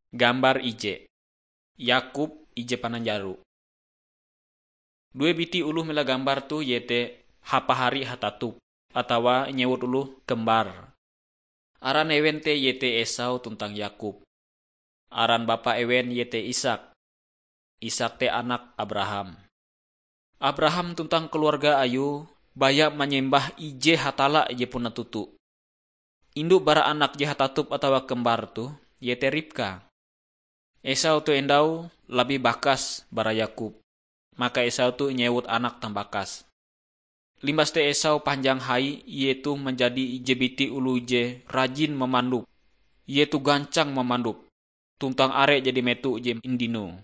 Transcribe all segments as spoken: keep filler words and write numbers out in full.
Gambar ije. Yakub ije pananjaro. Due biti oloh mela gambar toh iete hapahari hatatup, atawa inyewut oloh kembar. Aran ewen te iete Esau tuntang Yakub. Aran bapa ewen iete Ishak. Ishak te anak Abraham. Abraham tuntang keluarga ayue baya manyembah ije Hatalla je puna toto. Indu bara anak je hatatup atawa kembar toh iete Ribka. Esau toh endau labih bakas bara Yakub, maka Esau toh inyewut anak tambakas. Limbas te Esau panjang hai, ie toh manjadi ije biti oloh je rajin mamandup. Ie toh gancang mamandup, tuntang are jadi meto je indinoe.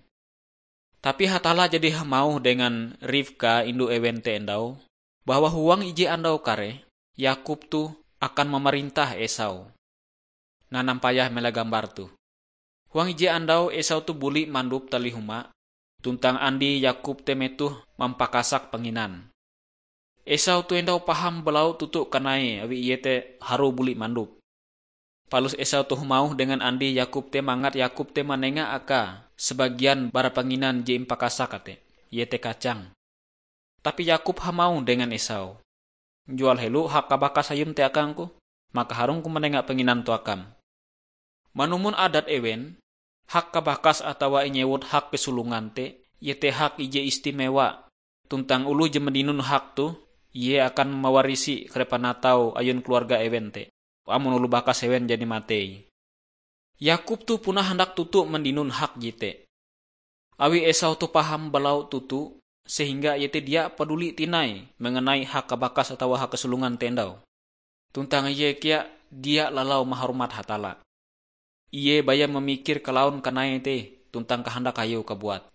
Tapi Hatalla jadi hamauh dengan Ribka indu ewen te endau, bahwa huang ije andau kareh, Yakub toh akan mamarintah Esau. Nanampayah mela gambar toh. Huang ije andau Esau toh buli mandup talih huma, tuntang andi Yakub te metoh mampakasak panginan. Esau toh endau paham balau toto kanai awi ie te harue buli mandup. Palus Esau toh hamauh dengan andi Yakub te mangat Yakub te manenga akae sabagian bara panginan je impakasak te, iete kacang. Tapi Yakub hamauh dengan Esau, "Jual helo hak kabakas ayum te akangku, maka harungku manenga panginan toh akam." Manumon adat ewen, hak kabakas atawa inyewut hak kesulungan te, iete hak ije istimewa, tuntang oloh je mandinun hak toh, ie akan mawarisi kare panatau ayun keluarga ewen te, amon oloh bakas ewen jadi matei. Yakub toh puna handak toto mandinun hak jete. Awi Esau toh paham balau toto, sehingga ie te dia paduli tinai mengenai hak kabakas atawa hak kesulungan te endau. Tuntang ie kea dia lalau mahormat Hatalla. Ie baya mamikir kalaun kanai te tuntang kahandak ayue kabuat.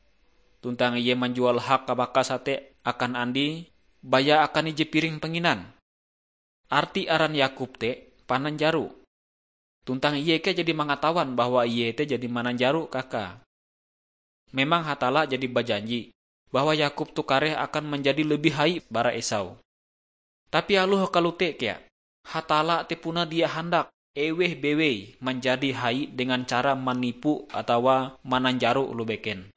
Tuntang ie manjual hak kabakas te akan andi baya akan ije piring panginan. Arti aran Yakub te pananjaro. Tuntang ie kea jadi mangatawan bahwa ie te jadi mananjaro kakae. Memang Hatalla jadi bajanji bahwa Yakub toh kareh akan manjadi lebih hai bara Esau. Tapi aloh kalote kea, Hatalla te puna dia handak eweh bewei manjadi hai dengan cara manipu atawa mananjaro oloh beken.